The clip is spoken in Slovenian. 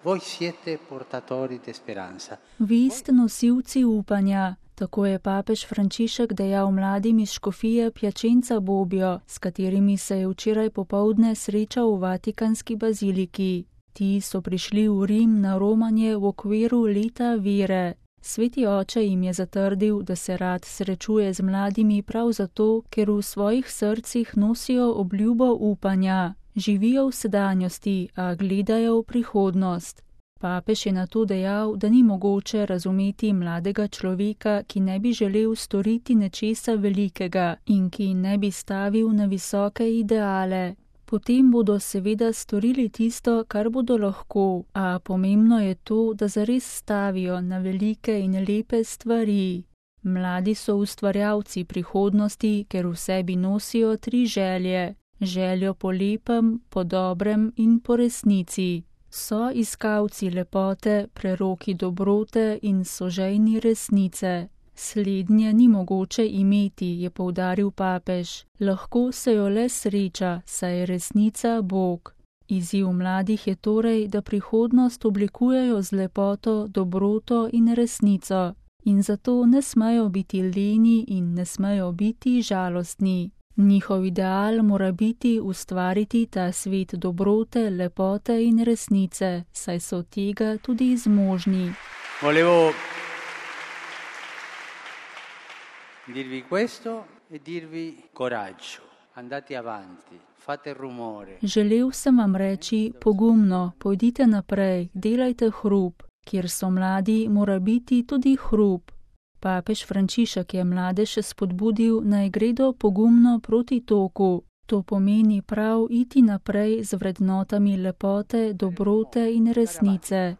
Voi siete portatori di speranza. Vi ste nosilci upanja, tako je papež Frančišek dejal mladim iz škofije Piacenza Bobbio, s katerimi se je včeraj popoldne srečal v Vatikanski baziliki. Ti so prišli v Rim na romanje v okviru leta vere. Sveti oče jim je zatrdil, da se rad srečuje z mladimi prav zato, ker v svojih srcih nosijo obljubo upanja. Živijo v sedanjosti, a gledajo v prihodnost. Papež je nato dejal, da ni mogoče razumeti mladega človeka, ki ne bi želel storiti nečesa velikega in ki ne bi stavil na visoke ideale. Potem bodo seveda storili tisto, kar bodo lahko, a pomembno je to, da zares stavijo na velike in lepe stvari. Mladi so ustvarjalci prihodnosti, ker v sebi nosijo 3 želje. Željo po lepem, po dobrem in po resnici. So iskalci lepote, preroki dobrote in sožejni resnice. Slednje ni mogoče imeti, je poudaril papež. Lahko se jo le sreča, saj je resnica Bog. Izziv mladih je torej, da prihodnost oblikujejo z lepoto, dobroto in resnico. In zato ne smejo biti leni in ne smejo biti žalostni. Njihov ideal mora biti ustvariti ta svet dobrote, lepote in resnice, saj so tega tudi zmožni. Volevo dirvi questo e dirvi coraggio. Andate avanti, fate rumore. Želel sem vam reči, pogumno, pojdite naprej, delajte hrup. Kjer so mladi, mora biti tudi hrup. Papež Frančišek je mlade še spodbudil, naj gredo pogumno proti toku. To pomeni prav iti naprej z vrednotami lepote, dobrote in resnice.